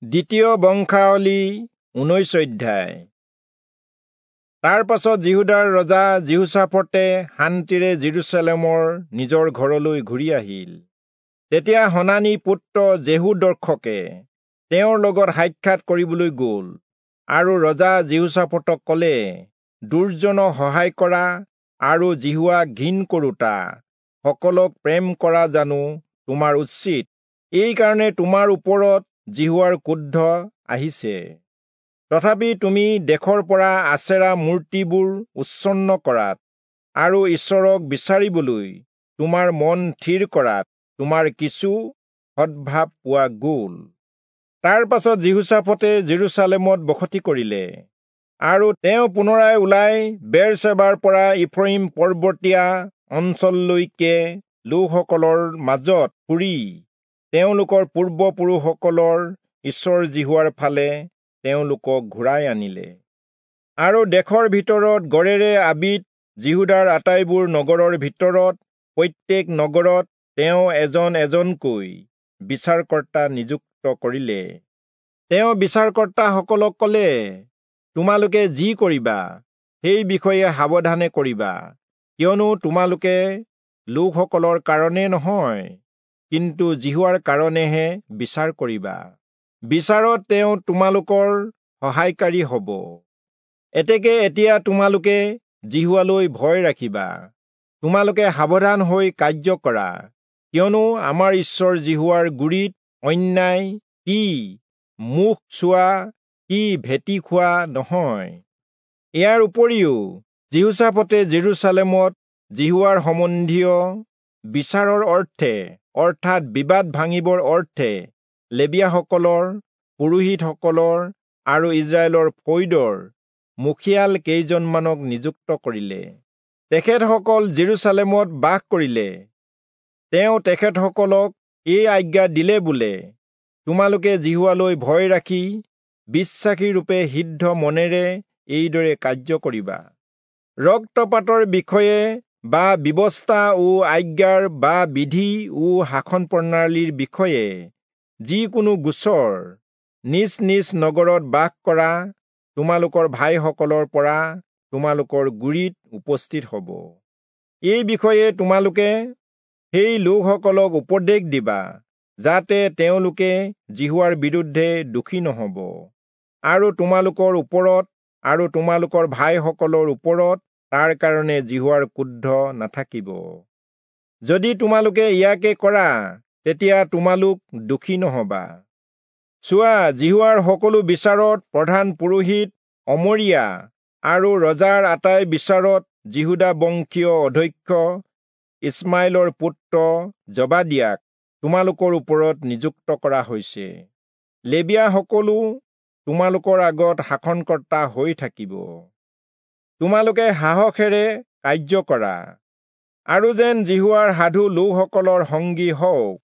দ্বিতীয় বংশাৱলী 19 অধ্যায়। তাৰ পাছত যিহূদাৰ ৰজা যিহোচাফটে শান্তিৰে যিৰূচালেমৰ নিজৰ ঘৰলৈ ঘূৰি আহিল। তেতিয়া হনানী পুত্ৰ যেহু দৰ্শকে তেওঁৰ লগত সাক্ষাৎ কৰিবলৈ গ'ল আৰু ৰজা যিহোচাফটক ক'লে, দুৰ্জনক সহায় কৰা আৰু যিহোৱাক ঘিণ কৰোঁতা সকলক প্ৰেম কৰা জানো তোমাৰ উচিত? এইকাৰণে তোমাৰ ওপৰত যিহোৱাৰ ক্ৰোধ আহিছে। তথাপি তুমি দেশৰ পৰা আচেৰা মূৰ্তিবোৰ উচ্ছন্ন কৰাত আৰু ঈশ্বৰক বিচাৰিবলৈ তোমাৰ মন থিৰ কৰাত তোমাৰ কিছু সদ্ভাৱ পোৱা গ'ল। তাৰ পাছত যিহোচাফটে যিৰূচালেমত বসতি কৰিলে আৰু তেওঁ পুনৰাই ওলাই বেৰচেবাৰ পৰা ইফ্ৰয়িম পৰ্বতীয়া অঞ্চললৈকে লোকসকলৰ মাজত ফুৰি তেওঁলোকৰ পূৰ্বপুৰুষসকলৰ ঈশ্বৰ যিহোৱাৰ ফালে তেওঁলোকক ঘূৰাই আনিলে। আৰু দেশৰ ভিতৰত গড়েৰে আবিত যিহূদাৰ আটাইবোৰ নগৰৰ ভিতৰত প্ৰত্যেক নগৰত তেওঁ এজন এজনকৈ বিচাৰকৰ্তা নিযুক্ত কৰিলে। তেওঁ বিচাৰকৰ্তাসকলক ক'লে, তোমালোকে যি কৰিবা সেই বিষয়ে সাৱধানে কৰিবা, কিয়নো তোমালোকে লোকসকলৰ কাৰণে নহয়, কিন্তু যিহোৱাৰ কাৰণেহে বিচাৰ কৰিবা। বিচাৰত তেওঁ তোমালোকৰ সহায়কাৰী হ'ব। এতেকে এতিয়া তোমালোকে যিহোৱালৈ ভয় ৰাখিবা। তোমালোকে সাৱধান হৈ কাৰ্য কৰা, কিয়নো আমাৰ ঈশ্বৰ যিহোৱাৰ গুৰিত অন্যায় কি মুখ চোৱা কি ভেটি খোৱা নহয়। ইয়াৰ উপৰিও যিহোচাফটে যিৰূচালেমত যিহোৱাৰ সম্বন্ধীয় বিচাৰৰ অৰ্থে, অৰ্থাৎ বিবাদ ভাঙিবৰ অৰ্থে, লেবীয়াসকলৰ, পুৰোহিতসকলৰ আৰু ইস্ৰায়েলৰ ফৈদৰ মুখিয়াল কেইজনমানক নিযুক্ত কৰিলে। তেখেতসকল যিৰূচালেমত বাস কৰিলে। তেওঁ তেখেতসকলক এই আজ্ঞা দিলে বোলে, তোমালোকে যিহোৱালৈ ভয় ৰাখি বিশ্বাসীৰূপে সিদ্ধ মনেৰে এইদৰে কাৰ্য কৰিবা। ৰক্তপাতৰ বিষয়ে বা ব্যৱস্থা ও আজ্ঞাৰ বা বিধি ও শাসন প্ৰণালীৰ বিষয়ে যিকোনো গোচৰ নিজ নিজ নগৰত বাস কৰা তোমালোকৰ ভাইসকলৰ পৰা তোমালোকৰ গুৰিত উপস্থিত হ'ব। এই বিষয়ে তোমালোকে সেই লোকসকলক উপদেশ দিবা, যাতে তেওঁলোকে যিহোৱাৰ বিৰুদ্ধে দোষী নহ'ব আৰু তোমালোকৰ ওপৰত আৰু তোমালোকৰ ভাইসকলৰ ওপৰত তাৰ কাৰণে যিহোৱাৰ ক্ৰোধ নাথাকিব। যদি তোমালোকে ইয়াকে কৰা, তেতিয়া তোমালোক দোষী নহবা। চোৱা, যিহোৱাৰ সকলো বিচাৰত প্ৰধান পুৰোহিত অমৰিয়া আৰু ৰজাৰ আটাই বিচাৰত যিহূদা বংশীয় অধ্যক্ষ ইছমাইলৰ পুত্ৰ জবাদিয়াক তোমালোকৰ ওপৰত নিযুক্ত কৰা হৈছে। লেবীয়াসকলো তোমালোকৰ আগত শাসনকৰ্তা হৈ থাকিব। তোমালোকে সাহসেৰে কাৰ্য কৰা আৰু যেন যিহোৱাৰ সাধু লোকসকলৰ সংগী হওক।